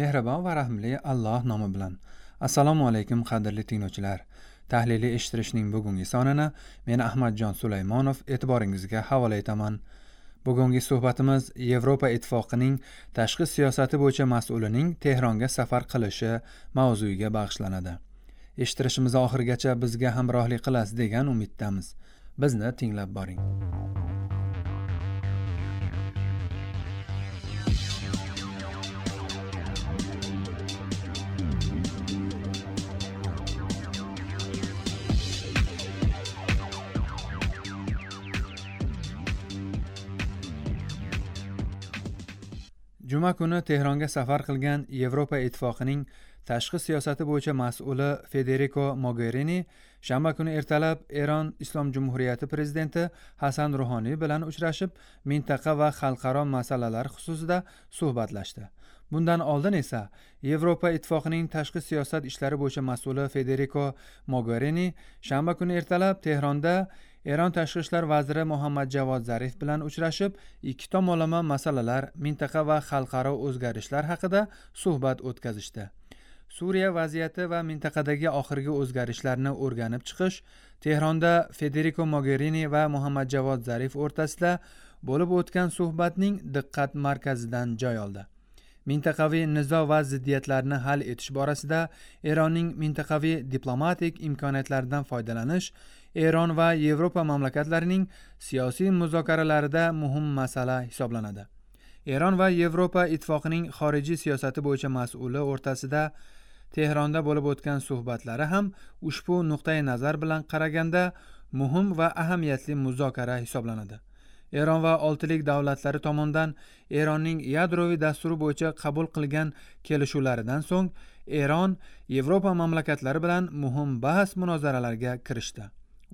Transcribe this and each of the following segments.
Mehribon va rahimli Alloh nomi bilan. Assalomu alaykum qadrli tinglovchilar. Tahliliy eshittirishning bugungi sonini men Ahmadjon Sulaymonov e'tiboringizga havola etaman. Bugungi suhbatimiz Yevropa Ittifoqining tashqi siyosati bo'yicha mas'ulining Tehronga safar qilishi mavzuiga bag'ishlanadi. Eshittirishimiz oxirigacha bizga hamrohlik qilasiz degan umiddamiz. Bizni tinglab boring. Juma kuni Tehronga safar qilgan Yevropa Ittifoqining tashqi siyosati bo'yicha mas'uli Federico Mogherini shanba kuni ertalab Eron Islom Jumhuriyati prezidenti Hasan Ruhoniy bilan uchrashib, mintaqa va xalqaro masalalar xususida suhbatlashdi. Bundan oldin esa Yevropa Ittifoqining tashqi siyosat ishlari bo'yicha mas'uli Federico Mogherini shanba kuni ertalab Tehronda Eron tashqi ishlar vaziri Muhammad Javod Zarif bilan uchrashib, ikki tomonlama masalalar, mintaqa va xalqaro o'zgarishlar haqida suhbat o'tkazishdi. Suriya vaziyati va mintaqadagi oxirgi o'zgarishlarni o'rganib chiqish Tehronda Federico Mogherini va Muhammad Javod Zarif o'rtasida bo'lib o'tgan suhbatning diqqat markazidan joy oldi. Mintaqaviy nizo va ziddiyatlarni hal etish borasida Eronning mintaqaviy diplomatik imkoniyatlaridan foydalanish Eron va Yevropa mamlakatlarining siyosiy muzokaralarida muhim masala hisoblanadi. Eron va Yevropa Ittifoqining xorijiy siyosati bo'yicha mas'uli o'rtasida Tehronda bo'lib o'tgan suhbatlari ham ushbu nuqtai nazar bilan qaraganda muhim va ahamiyatli muzokara hisoblanadi. Eron va oltilik davlatlari tomonidan Eronning yadroviy dasturi bo'yicha qabul qilgan kelishuvlaridan so'ng Eron Yevropa mamlakatlari bilan muhim bahs munozaralarga kirishdi.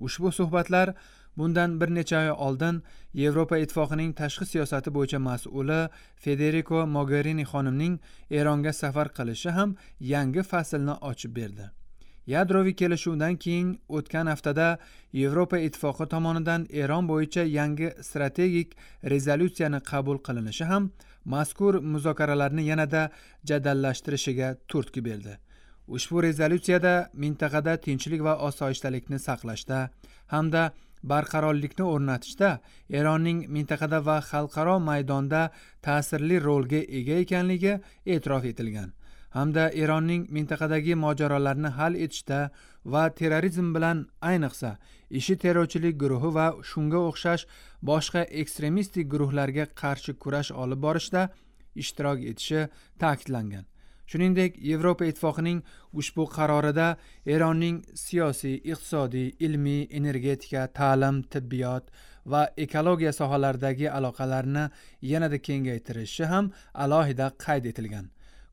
Ushbu suhbatlar bundan bir necha oy oldin Yevropa Ittifoqining tashqi siyosati bo'yicha mas'uli Federico Mogherini xonimning Eronga safar qilishi ham yangi faslni ochib berdi. Yadroviy kelishuvdan keyin o'tgan haftada Yevropa Ittifoqi tomonidan Eron bo'yicha yangi strategik rezolyutsiyani qabul qilinishi ham mazkur muzokaralarni yanada jadallashtirishiga turtki berdi. Ushbu rezolyutsiyada mintaqada tinchlik va osoyishtalikni saqlashda hamda barqarorlikni o'rnatishda Eronning mintaqada va xalqaro maydonda ta'sirli rolga ega ekanligi e'tirof etilgan hamda Eronning mintaqadagi mojarolarni hal etishda va terrorizm bilan, ayniqsa IShI terrorchilik guruhi va shunga o'xshash boshqa ekstremistik guruhlarga qarshi kurash olib borishda ishtirok etishi ta'kidlangan. Shuningdek, Yevropa Ittifoqining ushbu qarorida Eronning siyosiy, iqtisodiy, ilmiy, energetika, ta'lim, tibbiyot va ekologiya sohalaridagi aloqalarni yanada kengaytirishi ham alohida qayd etilgan.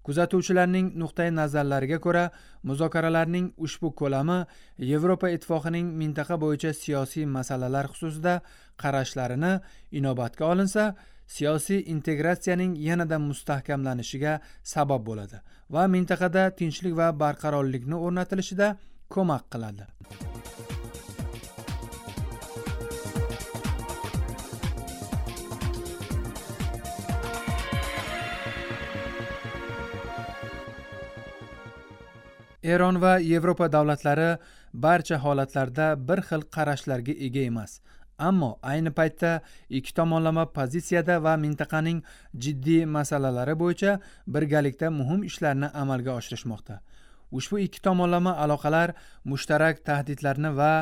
Kuzatuvchilarning nuqtai nazarlariga ko'ra, muzokaralarning ushbu ko'lami Yevropa Ittifoqining mintaqa bo'yicha siyosiy masalalar xususida qarashlarini inobatga olinsa, siyosiy integratsiyaning yanada mustahkamlanishiga sabab bo'ladi va mintaqada tinchlik va barqarorlikni o'rnatilishida ko'mak qiladi. Eron va Yevropa davlatlari barcha holatlarda bir xil qarashlarga ega emas. Ammo ayni paytda ikki tomonlama pozitsiyada va mintaqaning jiddiy masalalari bo'yicha birgalikda muhim ishlarni amalga oshirishmoqda. Ushbu ikki tomonlama aloqalar mushtarak tahdidlarni va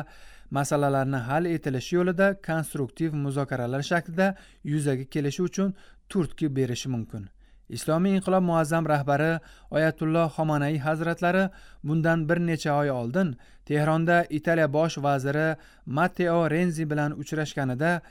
masalalarni hal etilishi yo'lida konstruktiv muzokaralar shaklida yuzaga kelishi uchun turtki berishi mumkin. Islomiy inqilob muazzam rahbari Oyatulloh Xomanaiy hazratlari bundan bir necha oy oldin Tehronda Italiya bosh vaziri Matteo Renzi bilan uchrashganida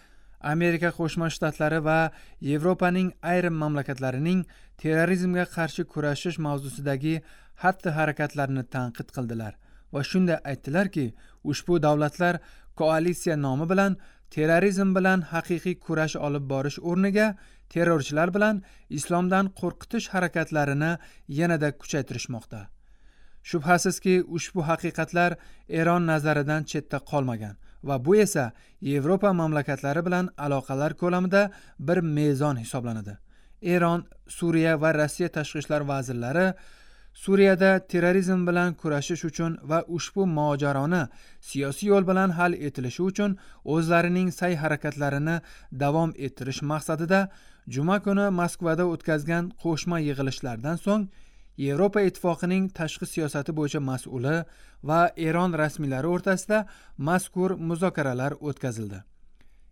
Amerika Qo'shma Shtatlari va Yevropaning ayrim mamlakatlarining terrorizmga qarshi kurashish mavzusidagi xatti-harakatlarini tanqid qildilar va shunda aytdilarki, ushbu davlatlar koalitsiya nomi bilan terrorizm bilan haqiqiy kurash olib borish o'rniga terrorchilar bilan islomdan qo'rqitish harakatlarini yanada kuchaytirishmoqda. Shubhasizki, ushbu haqiqatlar Eron nazaridan chetda qolmagan va bu esa Yevropa mamlakatlari bilan aloqalar ko'lamida bir mezon hisoblanadi. Eron, Suriya va Rossiya tashqi ishlar vazirlari Suriyada terrorizm bilan kurashish uchun va ushbu mojaroni siyosiy yo'l bilan hal etilishi uchun o'zlarining sa'y harakatlarini davom ettirish maqsadida juma kuni Moskvada o'tkazgan qo'shma yig'ilishlardan so'ng Yevropa Ittifoqining tashqi siyosati bo'yicha mas'uli va Eron rasmiylari o'rtasida mazkur muzokaralar o'tkazildi.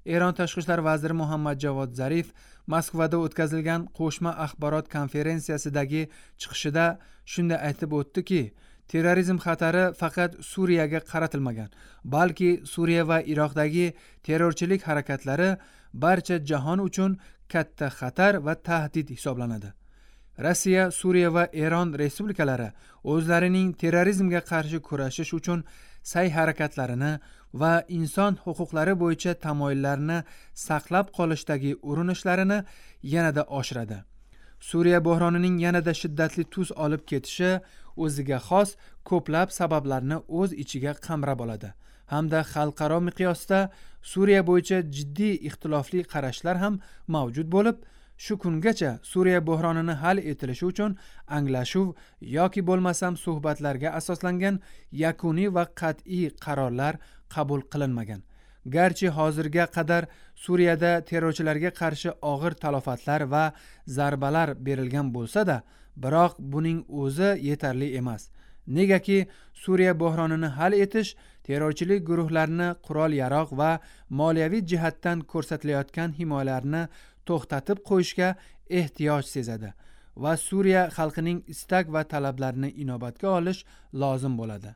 Eron tashqi ishlar vaziri Muhammad Javod Zarif Moskvada o'tkazilgan qo'shma axborot konferensiyasidagi chiqishida shunday aytib o'tdiki, terrorizm xatari faqat Suriyaga qaratilmagan, balki Suriya va Iroqdagi terrorchilik harakatlari barcha jahon uchun katta xatar va tahdid hisoblanadi. Rossiya, Suriya va Eron respublikalari o'zlarining terrorizmga qarshi kurashish uchun sa'y harakatlarini va inson huquqlari bo'yicha tamoyillarni saqlab qolishdagi urinishlarini yanada oshiradi. Suriya bo'hronining yanada shiddatli tus olib ketishi o'ziga xos ko'plab sabablarni o'z ichiga qamrab oladi hamda xalqaro miqyosda Suriya bo'yicha jiddiy ixtilofli qarashlar ham mavjud bo'lib, shu kungacha Suriya bo'hronini hal etilishi uchun anglashuv yoki bo'lmasam suhbatlarga asoslangan yakuniy va qat'iy qarorlar qabul qilinmagan. Garchi hozirga qadar Suriyada terrorchilarga qarshi og'ir talofatlar va zarbalar berilgan bo'lsa-da, biroq buning o'zi yetarli emas. Negaki Suriya bo'hronini hal etish terrorchilik guruhlarini qurol-yarog' va moliyaviy jihatdan ko'rsatilayotgan himoyalarni to'xtatib qo'yishga ehtiyoj sezadi va Suriya xalqining istak va talablarini inobatga olish lozim bo'ladi.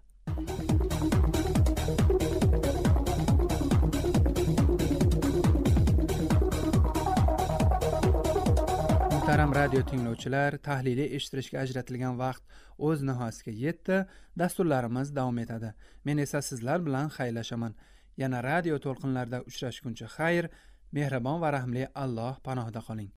Muhtaram radio tinglovchilar, tahliliy eshittirishga ajratilgan vaqt o'z nihoyasiga yetdi. Dasturlarimiz davom etadi. Men esa sizlar bilan xayrlashaman. Yana radio to'lqinlarida uchrashguncha xayr, mehribon va rahimli Alloh panohida qoling.